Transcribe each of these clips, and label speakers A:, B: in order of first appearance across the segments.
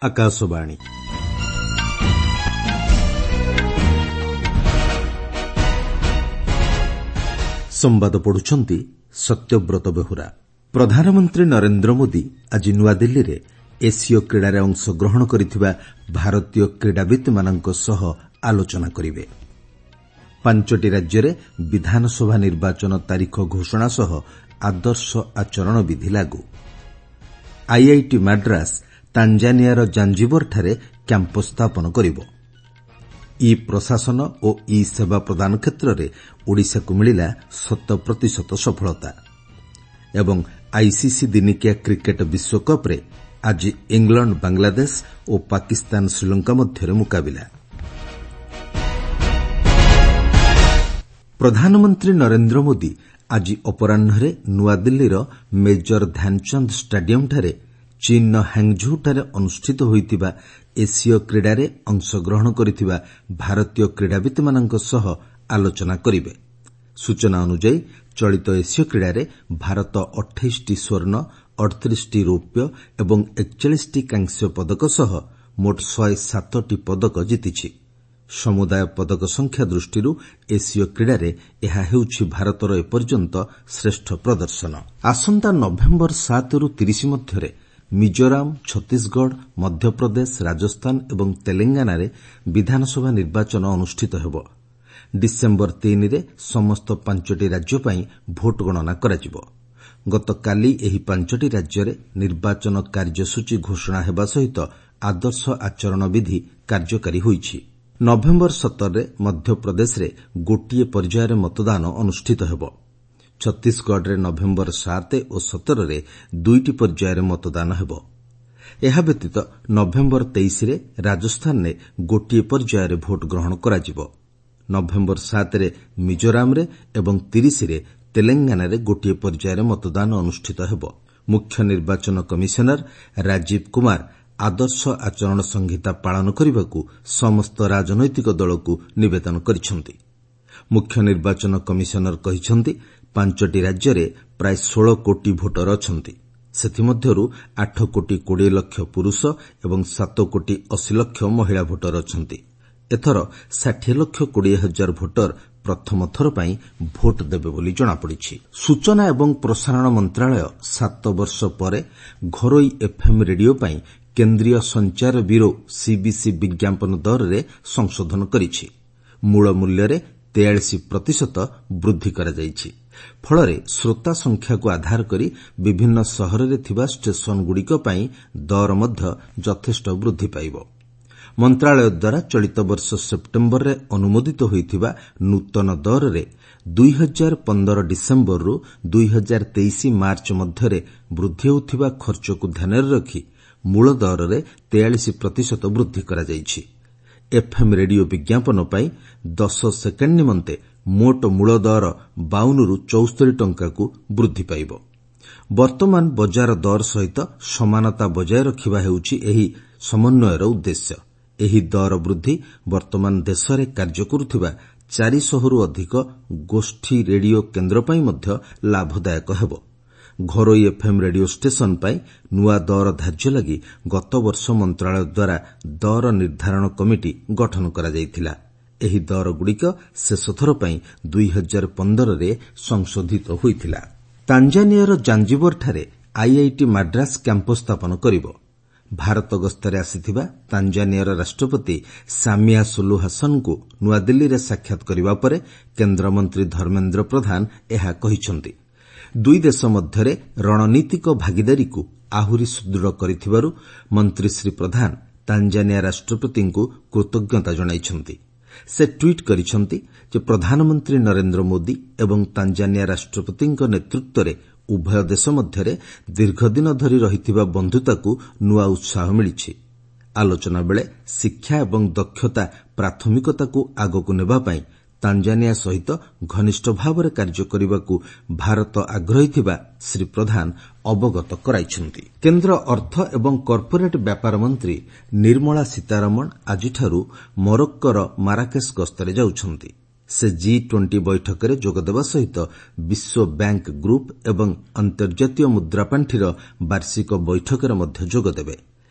A: ଆକାଶବାଣୀ। ସମ୍ବାଦ ପଢୁଛନ୍ତି ସତ୍ୟବ୍ରତ ବେହୁରା। ପ୍ରଧାନମନ୍ତ୍ରୀ ନରେନ୍ଦ୍ର ମୋଦି ଆଜି ନୂଆଦିଲ୍ଲୀରେ ଏସୀୟ କ୍ରୀଡ଼ାରେ ଅଂଶଗ୍ରହଣ କରିଥିବା ଭାରତୀୟ କ୍ରୀଡ଼ାବିତ୍ମାନଙ୍କ ସହ ଆଲୋଚନା କରିବେ। ପାଞ୍ଚଟି ରାଜ୍ୟରେ ବିଧାନସଭା ନିର୍ବାଚନ ତାରିଖ ଘୋଷଣା ସହ ଆଦର୍ଶ ଆଚରଣ ବିଧି ଲାଗୁ। ଆଇଆଇଟି ମାଡ୍ରାସ୍ ତାଞ୍ଜାନିଆର ଜାଞ୍ଜିବରଠାରେ କ୍ୟାମ୍ପସ୍ ସ୍ଥାପନ କରିବ। ଇ ପ୍ରଶାସନ ଓ ଇ ସେବା ପ୍ରଦାନ କ୍ଷେତ୍ରରେ ଓଡ଼ିଶାକୁ ମିଳିଲା ଶତ ପ୍ରତିଶତ ସଫଳତା। ଏବଂ ଆଇସିସି ଦିନିକିଆ କ୍ରିକେଟ୍ ବିଶ୍ୱକପ୍ରେ ଆଜି ଇଂଲଣ୍ଡ ବାଂଲାଦେଶ ଓ ପାକିସ୍ତାନ ଶ୍ରୀଲଙ୍କା ମଧ୍ୟରେ ମୁକାବିଲା। ପ୍ରଧାନମନ୍ତ୍ରୀ ନରେନ୍ଦ୍ର ମୋଦି ଆଜି ଅପରାହ୍ନରେ ନୂଆଦିଲ୍ଲୀର ମେଜର ଧ୍ୟାନଚାନ୍ଦ ଷ୍ଟାଡିୟମ୍ଠାରେ ଚୀନ୍ର ହାଙ୍ଗ୍ଝୋଉଠାରେ ଅନୁଷ୍ଠିତ ହୋଇଥିବା ଏସୀୟ କ୍ରୀଡ଼ାରେ ଅଂଶଗ୍ରହଣ କରିଥିବା ଭାରତୀୟ କ୍ରୀଡ଼ାବିତ୍ମାନଙ୍କ ସହ ଆଲୋଚନା କରିବେ। ସୂଚନା ଅନୁଯାୟୀ ଚଳିତ ଏସୀୟ କ୍ରୀଡ଼ାରେ ଭାରତ 28ଟି ସ୍ୱର୍ଣ୍ଣ, 38ଟି ରୌପ୍ୟ ଏବଂ 41ଟି କାଂସ୍ୟ ପଦକ ସହ ମୋଟ 107ଟି ପଦକ ଜିତିଛି। ସମୁଦାୟ ପଦକ ସଂଖ୍ୟା ଦୃଷ୍ଟିରୁ ଏସୀୟ କ୍ରୀଡ଼ାରେ ଏହା ହେଉଛି ଭାରତର ଏପର୍ଯ୍ୟନ୍ତ ଶ୍ରେଷ୍ଠ ପ୍ରଦର୍ଶନ। ଆସନ୍ତା ନଭେମ୍ବର 7ରୁ 30 ମଧ୍ୟରେ ମିଜୋରାମ, ଛତିଶଗଡ଼, ମଧ୍ୟପ୍ରଦେଶ, ରାଜସ୍ଥାନ ଏବଂ ତେଲେଙ୍ଗାନାରେ ବିଧାନସଭା ନିର୍ବାଚନ ଅନୁଷ୍ଠିତ ହେବ। ଡିସେମ୍ବର 3ରେ ସମସ୍ତ ପାଞ୍ଚଟି ରାଜ୍ୟ ପାଇଁ ଭୋଟ ଗଣନା କରାଯିବ। ଗତକାଲି ଏହି ପାଞ୍ଚଟି ରାଜ୍ୟରେ ନିର୍ବାଚନ କାର୍ଯ୍ୟସୂଚୀ ଘୋଷଣା ହେବା ସହିତ ଆଦର୍ଶ ଆଚରଣ ବିଧି କାର୍ଯ୍ୟକାରୀ ହୋଇଛି। ନଭେମ୍ବର 17ରେ ମଧ୍ୟପ୍ରଦେଶରେ ଗୋଟିଏ ପର୍ଯ୍ୟାୟରେ ମତଦାନ ଅନୁଷ୍ଠିତ ହେବ। ଛତିଶଗଡ଼ରେ ନଭେମ୍ବର 7 ଓ 17ରେ ଦୁଇଟି ପର୍ଯ୍ୟାୟରେ ମତଦାନ ହେବ। ଏହା ବ୍ୟତୀତ ନଭେମ୍ବର 23ରେ ରାଜସ୍ଥାନରେ ଗୋଟିଏ ପର୍ଯ୍ୟାୟରେ ଭୋଟ ଗ୍ରହଣ କରାଯିବ। ନଭେମ୍ବର 7ରେ ମିଜୋରାମରେ ଏବଂ 30ରେ ତେଲେଙ୍ଗାନାରେ ଗୋଟିଏ ପର୍ଯ୍ୟାୟରେ ମତଦାନ ଅନୁଷ୍ଠିତ ହେବ। ମୁଖ୍ୟ ନିର୍ବାଚନ କମିଶନର ରାଜୀବ କୁମାର ଆଦର୍ଶ ଆଚରଣ ସଂହିତା ପାଳନ କରିବାକୁ ସମସ୍ତ ରାଜନୈତିକ ଦଳକୁ ନିବେଦନ କରିଛନ୍ତି। ମୁଖ୍ୟ ନିର୍ବାଚନ କମିଶନର କହିଛନ୍ତି, ପାଞ୍ଚଟି ରାଜ୍ୟରେ ପ୍ରାୟ 16 କୋଟି ଭୋଟର ଅଛନ୍ତି। ସେଥିମଧ୍ୟରୁ 8 କୋଟି 20 ଲକ୍ଷ ପୁରୁଷ ଏବଂ 7 କୋଟି 80 ଲକ୍ଷ ମହିଳା ଭୋଟର ଅଛନ୍ତି। ଏଥର 60 ଲକ୍ଷ 20 ହଜାର ଭୋଟର ପ୍ରଥମ ଥର ପାଇଁ ଭୋଟ ଦେବେ ବୋଲି ଜଣାପଡ଼ିଛି। ସୂଚନା ଏବଂ ପ୍ରସାରଣ ମନ୍ତ୍ରଣାଳୟ 7 ବର୍ଷ ପରେ ଘରୋଇ ଏଫ୍ଏମ୍ ରେଡିଓ ପାଇଁ କେନ୍ଦ୍ରୀୟ ସଞ୍ଚାର ବ୍ୟୁରୋ ସିବିସି ବିଜ୍ଞାପନ ଦରରେ ସଂଶୋଧନ କରିଛି। ମୂଳ ମୂଲ୍ୟରେ 43% ବୃଦ୍ଧି କରାଯାଇଛି। ଫଳରେ ଶ୍ରୋତା ସଂଖ୍ୟାକୁ ଆଧାର କରି ବିଭିନ୍ନ ସହରରେ ଥିବା ଷ୍ଟେସନଗୁଡ଼ିକ ପାଇଁ ଦର ମଧ୍ୟ ଯଥେଷ୍ଟ ବୃଦ୍ଧି ପାଇବ। ମନ୍ତ୍ରଣାଳୟ ଦ୍ୱାରା ଚଳିତ ବର୍ଷ ସେପ୍ଟେମ୍ବରରେ ଅନୁମୋଦିତ ହୋଇଥିବା ନୂତନ ଦରରେ 2015 ଡିସେମ୍ବରରୁ 2023 ମାର୍ଚ୍ଚ ମଧ୍ୟରେ ବୃଦ୍ଧି ହେଉଥିବା ଖର୍ଚ୍ଚକୁ ଧ୍ୟାନରେ ରଖି ମୂଳ ଦରରେ 43% ବୃଦ୍ଧି କରାଯାଇଛି। ଏଫ୍ଏମ୍ ରେଡିଓ ବିଜ୍ଞାପନ ପାଇଁ 10 ସେକେଣ୍ଡ ନିମନ୍ତେ ମୋଟ ମୂଳ ଦର 52ରୁ 74 ଟଙ୍କାକୁ ବୃଦ୍ଧି ପାଇବ। ବର୍ତ୍ତମାନ ବଜାର ଦର ସହିତ ସମାନତା ବଜାୟ ରଖିବା ହେଉଛି ଏହି ସମନ୍ୱୟର ଉଦ୍ଦେଶ୍ୟ। ଏହି ଦର ବୃଦ୍ଧି ବର୍ତ୍ତମାନ ଦେଶରେ କାର୍ଯ୍ୟ କରୁଥିବା 400ରୁ ଅଧିକ ଗୋଷ୍ଠୀ ରେଡିଓ କେନ୍ଦ୍ର ପାଇଁ ମଧ୍ୟ ଲାଭଦାୟକ ହେବ। ଘରୋଇ ଏଫ୍ଏମ୍ ରେଡିଓ ଷ୍ଟେସନ ପାଇଁ ନୂଆ ଦର ଧାର୍ଯ୍ୟ ଲାଗି ଗତବର୍ଷ ମନ୍ତ୍ରଣାଳୟ ଦ୍ୱାରା ଦର ନିର୍ଦ୍ଧାରଣ କମିଟି ଗଠନ କରାଯାଇଥିଲା। ଏହି ଦରଗୁଡ଼ିକ ଶେଷଥର ପାଇଁ 2015ରେ ସଂଶୋଧିତ ହୋଇଥିଲା। ତାଞ୍ଜାନିଆର ଜାଞ୍ଜିବରଠାରେ ଆଇଆଇଟି ମାଡ୍ରାସ୍ କ୍ୟାମ୍ପସ୍ ସ୍ଥାପନ କରିବ। ଭାରତ ଗସ୍ତରେ ଆସିଥିବା ତାଞ୍ଜାନିଆର ରାଷ୍ଟ୍ରପତି ସାମିଆ ସୁଲୁ ହାସନଙ୍କୁ ନୂଆଦିଲ୍ଲୀରେ ସାକ୍ଷାତ କରିବା ପରେ କେନ୍ଦ୍ରମନ୍ତ୍ରୀ ଧର୍ମେନ୍ଦ୍ର ପ୍ରଧାନ ଏହା କହିଛନ୍ତି। ଦୁଇ ଦେଶ ମଧ୍ୟରେ ରଣନୀତିକ ଭାଗିଦାରୀକୁ ଆହୁରି ସୁଦୃଢ଼ କରିଥିବାରୁ ମନ୍ତ୍ରୀ ଶ୍ରୀ ପ୍ରଧାନ ତାଞ୍ଜାନିଆ ରାଷ୍ଟ୍ରପତିଙ୍କୁ କୃତଜ୍ଞତା ଜଣାଇଛନ୍ତି। ସେ ଟ୍ୱିଟ୍ କରିଛନ୍ତି ଯେ ପ୍ରଧାନମନ୍ତ୍ରୀ ନରେନ୍ଦ୍ର ମୋଦି ଏବଂ ତାଞ୍ଜାନିଆ ରାଷ୍ଟ୍ରପତିଙ୍କ ନେତୃତ୍ୱରେ ଉଭୟ ଦେଶ ମଧ୍ୟରେ ଦୀର୍ଘଦିନ ଧରି ରହିଥିବା ବନ୍ଧୁତାକୁ ନୂଆ ଉତ୍ସାହ ମିଳିଛି। ଆଲୋଚନା ବେଳେ ଶିକ୍ଷା ଏବଂ ଦକ୍ଷତା ପ୍ରାଥମିକତାକୁ ଆଗକୁ ନେବା ପାଇଁ ତାଞ୍ଜାନିଆ ସହିତ ଘନିଷ୍ଠ ଭାବରେ କାର୍ଯ୍ୟ କରିବାକୁ ଭାରତ ଆଗ୍ରହୀ ଥିବା ଶ୍ରୀ ପ୍ରଧାନ ଅବଗତ କରାଇଛନ୍ତି। କେନ୍ଦ୍ର ଅର୍ଥ ଏବଂ କର୍ପୋରେଟ୍ ବ୍ୟାପାର ମନ୍ତ୍ରୀ ନିର୍ମଳା ସୀତାରମଣ ଆଜିଠାରୁ ମରୋକ୍କୋର ମାରାକେଶ ଗସ୍ତରେ ଯାଉଛନ୍ତି। ସେ ଜି 20 ବୈଠକରେ ଯୋଗଦେବା ସହିତ ବିଶ୍ୱ ବ୍ୟାଙ୍କ ଗ୍ରୁପ୍ ଏବଂ ଅନ୍ତର୍ଜାତୀୟ ମୁଦ୍ରାପାଣ୍ଠିର ବାର୍ଷିକ ବୈଠକରେ ମଧ୍ୟ ଯୋଗଦେବେ।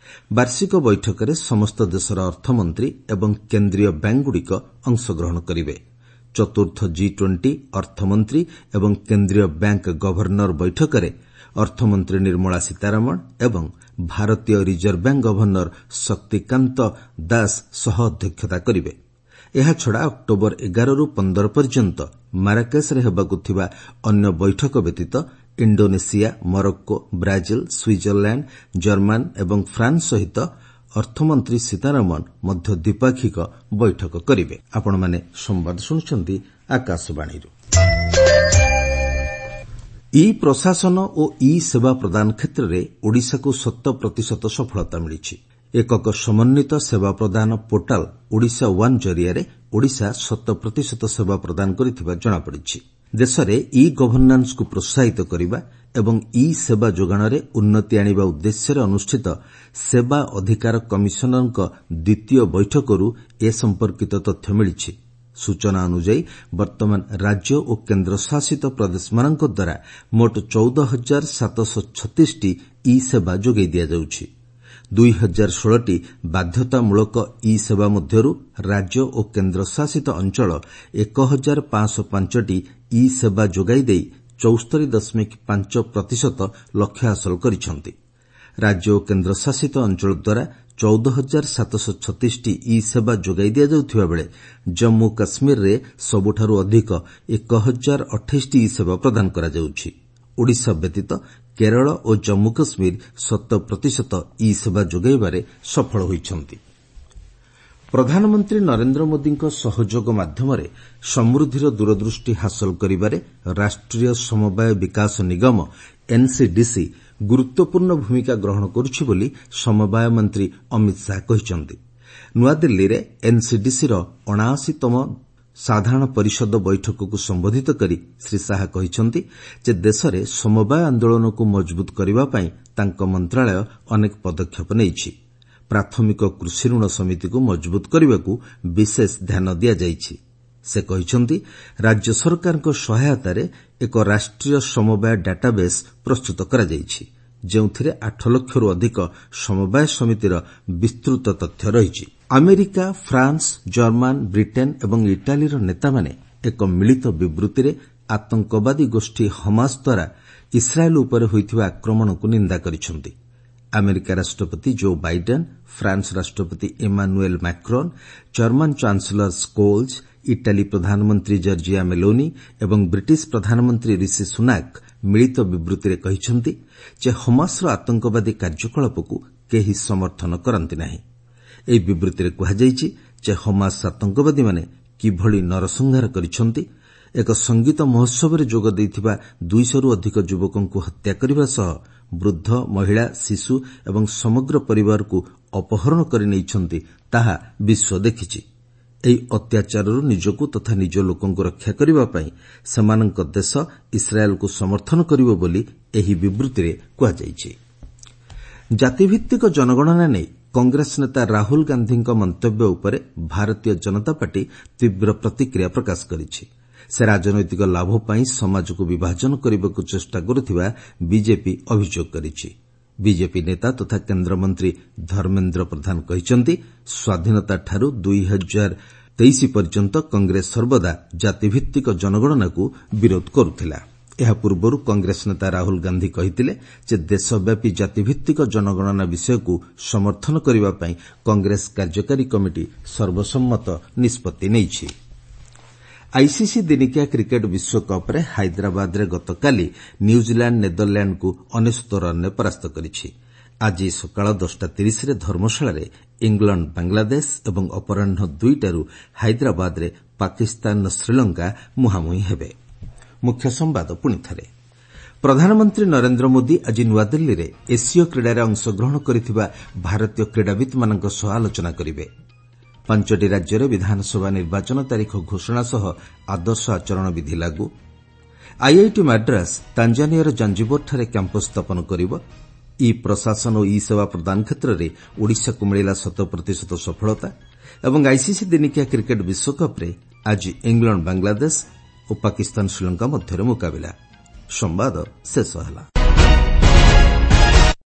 A: ବାର୍ଷିକ ବୈଠକରେ ସମସ୍ତ ଦେଶର ଅର୍ଥମନ୍ତ୍ରୀ ଏବଂ କେନ୍ଦ୍ରୀୟ ବ୍ୟାଙ୍କଗୁଡ଼ିକ ଅଂଶଗ୍ରହଣ କରିବେ। ଚତୁର୍ଥ ଜି-20 ଅର୍ଥମନ୍ତ୍ରୀ ଏବଂ କେନ୍ଦ୍ରୀୟ ବ୍ୟାଙ୍କ ଗଭର୍ଣ୍ଣର ବୈଠକରେ ଅର୍ଥମନ୍ତ୍ରୀ ନିର୍ମଳା ସୀତାରମଣ ଏବଂ ଭାରତୀୟ reserve bank governor Shaktikanta Das ସହ ଅଧ୍ୟକ୍ଷତା କରିବେ। ଏହାଛଡ଼ା ଅକ୍ଟୋବର 11ରୁ 15 ପର୍ଯ୍ୟନ୍ତ ମାରାକେଶରେ ହେବାକୁ ଥିବା ଅନ୍ୟ ବୈଠକ ବ୍ୟତୀତ Indonesia, Morocco, Brazil, Switzerland, German ଏବଂ ଫ୍ରାନ୍ସ ସହିତ ଅର୍ଥମନ୍ତ୍ରୀ ସୀତାରମଣ ମଧ୍ୟ ଦ୍ୱିପାକ୍ଷିକ ବୈଠକ କରିବେ। ଇ ପ୍ରଶାସନ ଓ ଇ ସେବା ପ୍ରଦାନ କ୍ଷେତ୍ରରେ ଓଡ଼ିଶାକୁ 100% ସଫଳତା ମିଳିଛି। ଏକକ ସମନ୍ୱିତ ସେବା ପ୍ରଦାନ ପୋର୍ଟାଲ୍ ଓଡ଼ିଶା ୱାନ୍ ଜରିଆରେ ଓଡ଼ିଶା 100% ସେବା ପ୍ରଦାନ କରିଥିବା ଜଣାପଡ଼ିଛି। ଦେଶରେ ଇ ଗଭର୍ଣ୍ଣାନ୍ସକୁ ପ୍ରୋତ୍ସାହିତ କରିବା ଏବଂ ଇ ସେବା ଯୋଗାଣରେ ଉନ୍ନତି ଆଣିବା ଉଦ୍ଦେଶ୍ୟରେ ଅନୁଷ୍ଠିତ ସେବା ଅଧିକାର କମିଶନରଙ୍କ ଦ୍ୱିତୀୟ ବୈଠକରୁ ଏ ସମ୍ପର୍କିତ ତଥ୍ୟ ମିଳିଛି। ସୂଚନା ଅନୁଯାୟୀ ବର୍ତ୍ତମାନ ରାଜ୍ୟ ଓ କେନ୍ଦ୍ରଶାସିତ ପ୍ରଦେଶମାନଙ୍କ ଦ୍ୱାରା ମୋଟ 14,736ଟି ଇ ସେବା ଯୋଗାଇ ଦିଆଯାଉଛି। 2016ଟି ବାଧ୍ୟତାମୂଳକ ଇ ସେବା ମଧ୍ୟରୁ ରାଜ୍ୟ ଓ କେନ୍ଦ୍ରଶାସିତ ଅଞ୍ଚଳ 1505ଟି ଇ ସେବା ଯୋଗାଇ ଦେଇ 74.5% ଲକ୍ଷ୍ୟ ହାସଲ କରିଛନ୍ତି। ରାଜ୍ୟ ଓ କେନ୍ଦ୍ରଶାସିତ ଅଞ୍ଚଳ ଦ୍ୱାରା 14,736ଟି ଇ ସେବା ଯୋଗାଇ ଦିଆଯାଉଥିବା ବେଳେ ଜମ୍ମୁ କାଶ୍ମୀରରେ ସବୁଠାରୁ ଅଧିକ 1028ଟି ଇ ସେବା ପ୍ରଦାନ କରାଯାଉଛି। ଓଡ଼ିଶା ବ୍ୟତୀତ କେରଳ ଓ ଜମ୍ମୁ କାଶ୍ମୀର 100% ଇ ସେବା ଯୋଗାଇବାରେ ସଫଳ ହୋଇଛନ୍ତି। ପ୍ରଧାନମନ୍ତ୍ରୀ ନରେନ୍ଦ୍ର ମୋଦିଙ୍କ ସହଯୋଗ ମାଧ୍ୟମରେ ସମୃଦ୍ଧିର ଦୂରଦୃଷ୍ଟି ହାସଲ କରିବାରେ ରାଷ୍ଟ୍ରୀୟ ସମବାୟ ବିକାଶ ନିଗମ ଏନ୍ସିଡିସି ଗୁରୁତ୍ୱପୂର୍ଣ୍ଣ ଭୂମିକା ଗ୍ରହଣ କରୁଛି ବୋଲି ସମବାୟ ମନ୍ତ୍ରୀ ଅମିତ ଶାହା କହିଛନ୍ତି। ନୂଆଦିଲ୍ଲୀରେ ଏନ୍ସିଡିସିର 79ତମ ସାଧାରଣ ପରିଷଦ ବୈଠକକୁ ସମ୍ବୋଧିତ କରି ଶ୍ରୀ ଶାହା କହିଛନ୍ତି ଯେ ଦେଶରେ ସମବାୟ ଆନ୍ଦୋଳନକୁ ମଜବୁତ କରିବା ପାଇଁ ତାଙ୍କ ମନ୍ତ୍ରଣାଳୟ ଅନେକ ପଦକ୍ଷେପ ନେଇଛି। ପ୍ରାଥମିକ କୃଷି ଋଣ ସମିତିକୁ ମଜବୁତ କରିବାକୁ ବିଶେଷ ଧ୍ୟାନ ଦିଆଯାଇଛି। ସେ କହିଛନ୍ତି, ରାଜ୍ୟ ସରକାରଙ୍କ ସହାୟତାରେ ଏକ ରାଷ୍ଟ୍ରୀୟ ସମବାୟ ଡାଟାବେସ୍ ପ୍ରସ୍ତୁତ କରାଯାଇଛି, ଯେଉଁଥିରେ 8 ଲକ୍ଷରୁ ଅଧିକ ସମବାୟ ସମିତିର ବିସ୍ତୃତ ତଥ୍ୟ ରହିଛି। ଆମେରିକା, ଫ୍ରାନ୍ସ, ଜର୍ମାନ, ବ୍ରିଟେନ୍ ଏବଂ ଇଟାଲୀର ନେତାମାନେ ଏକ ମିଳିତ ବିବୃତ୍ତିରେ ଆତଙ୍କବାଦୀ ଗୋଷ୍ଠୀ ହମାସ ଦ୍ୱାରା ଇସ୍ରାଏଲ୍ ଉପରେ ହୋଇଥିବା ଆକ୍ରମଣକୁ ନିନ୍ଦା କରିଛନ୍ତି। ଆମେରିକା ରାଷ୍ଟ୍ରପତି ଜୋ ବାଇଡେନ୍, ଫ୍ରାନ୍ସ ରାଷ୍ଟ୍ରପତି Emmanuel Macron, German chancellor Scholz, Italy ପ୍ରଧାନମନ୍ତ୍ରୀ ଜର୍ଜିଆ ମେଲୋନି ଏବଂ ବ୍ରିଟିଶ ପ୍ରଧାନମନ୍ତ୍ରୀ ରିଷି ସୁନାକ୍ ମିଳିତ ବିବୃତ୍ତିରେ କହିଛନ୍ତି ଯେ ହମାସର ଆତଙ୍କବାଦୀ କାର୍ଯ୍ୟକଳାପକୁ କେହି ସମର୍ଥନ କରନ୍ତି ନାହିଁ। ଏହି ବିବୃତ୍ତିରେ କୁହାଯାଇଛି ଯେ ହମାସ ଆତଙ୍କବାଦୀମାନେ କିଭଳି ନରସଂହାର କରିଛନ୍ତି, ଏକ ସଙ୍ଗୀତ ମହୋତ୍ସବରେ ଯୋଗ ଦେଇଥିବା 200ରୁ ଅଧିକ ଯୁବକଙ୍କୁ ହତ୍ୟା କରିବା ସହ ବୃଦ୍ଧ, ମହିଳା, ଶିଶୁ ଏବଂ ସମଗ୍ର ପରିବାରକୁ ଅପହରଣ କରି ନେଇଛନ୍ତି, ତାହା ବିଶ୍ୱ ଦେଖିଛି। ଏହି ଅତ୍ୟାଚାରରୁ ନିଜକୁ ତଥା ନିଜ ଲୋକଙ୍କୁ ରକ୍ଷା କରିବା ପାଇଁ ସେମାନଙ୍କ ଦେଶ ଇସ୍ରାଏଲ୍କୁ ସମର୍ଥନ କରିବ ବୋଲି ଏହି ବିବୃତ୍ତିରେ କୁହାଯାଇଛି। ଜାତିଭିତ୍ତିକ ଜନଗଣନା ନେଇ କଂଗ୍ରେସ ନେତା ରାହୁଲ ଗାନ୍ଧୀଙ୍କ ମନ୍ତବ୍ୟ ଉପରେ ଭାରତୀୟ ଜନତା ପାର୍ଟି ତୀବ୍ର ପ୍ରତିକ୍ରିୟା ପ୍ରକାଶ କରିଛି। ସେ ରାଜନୈତିକ ଲାଭ ପାଇଁ ସମାଜକୁ ବିଭାଜନ କରିବାକୁ ଚେଷ୍ଟା କରୁଥିବା ବିଜେପି ଅଭିଯୋଗ କରିଛି। ବିଜେପି ନେତା ତଥା କେନ୍ଦ୍ରମନ୍ତ୍ରୀ ଧର୍ମେନ୍ଦ୍ର ପ୍ରଧାନ କହିଛନ୍ତି, ସ୍ୱାଧୀନତାଠାରୁ 2023 ପର୍ଯ୍ୟନ୍ତ କଂଗ୍ରେସ ସର୍ବଦା ଜାତିଭିତ୍ତିକ ଜନଗଣନାକୁ ବିରୋଧ କରୁଥିଲା। ଏହା ପୂର୍ବରୁ କଂଗ୍ରେସ ନେତା ରାହୁଲ ଗାନ୍ଧୀ କହିଥିଲେ ଯେ ଦେଶବ୍ୟାପୀ ଜାତିଭିତ୍ତିକ ଜନଗଣନା ବିଷୟକୁ ସମର୍ଥନ କରିବା ପାଇଁ କଂଗ୍ରେସ କାର୍ଯ୍ୟକାରୀ କମିଟି ସର୍ବସମ୍ମତ ନିଷ୍ପତ୍ତି ନେଇଛି। ଆଇସିସି ଦିନିକିଆ କ୍ରିକେଟ୍ ବିଶ୍ୱକପ୍ରେ ହାଇଦ୍ରାବାଦରେ ଗତକାଲି ନ୍ୟୁଜିଲାଣ୍ଡ ନେଦରଲ୍ୟାଣ୍ଡକୁ 99 ରନ୍ରେ ପରାସ୍ତ କରିଛି। ଆଜି ସକାଳ 10:30ରେ ଧର୍ମଶାଳାରେ ଇଂଲଣ୍ଡ ବାଂଲାଦେଶ ଏବଂ ଅପରାହ୍ନ 2ଟାରୁ ହାଇଦ୍ରାବାଦରେ ପାକିସ୍ତାନ ଶ୍ରୀଲଙ୍କା ମୁହାଁମୁହିଁ ହେବେ। ମୁଖ୍ୟ ସମ୍ବାଦ ପୁଣିଥରେ। ପ୍ରଧାନମନ୍ତ୍ରୀ ନରେନ୍ଦ୍ର ମୋଦି ଆଜି ନୂଆଦିଲ୍ଲୀରେ ଏସୀୟ କ୍ରୀଡ଼ାରେ ଅଂଶଗ୍ରହଣ କରିଥିବା ଭାରତୀୟ କ୍ରୀଡ଼ାବିତ୍ମାନଙ୍କ ସହ ଆଲୋଚନା କରିବେ। 5ଟି ରାଜ୍ୟରେ ବିଧାନସଭା ନିର୍ବାଚନ ତାରିଖ ଘୋଷଣା ସହ ଆଦର୍ଶ ଆଚରଣ ବିଧି ଲାଗୁ। ଆଇଆଇଟି ମାଡ୍ରାସ ତାଞ୍ଜାନିଆର ଜାଞ୍ଜିବରଠାରେ କ୍ୟାମ୍ପସ୍ ସ୍ଥାପନ କରିବ। ଇ ପ୍ରଶାସନ ଓ ଇ ସେବା ପ୍ରଦାନ କ୍ଷେତ୍ରରେ ଓଡ଼ିଶାକୁ ମିଳିଲା 100% ସଫଳତା। ଏବଂ ଆଇସିସି ଦିନିକିଆ କ୍ରିକେଟ୍ ବିଶ୍ୱକପ୍ରେ ଆଜି ଇଂଲଣ୍ଡ ବାଂଲାଦେଶ ଓ ପାକିସ୍ତାନ ଶ୍ରୀଲଙ୍କା ମଧ୍ୟରେ ମୁକାବିଲା। ସମ୍ବାଦ ଶେଷ ହେଲା।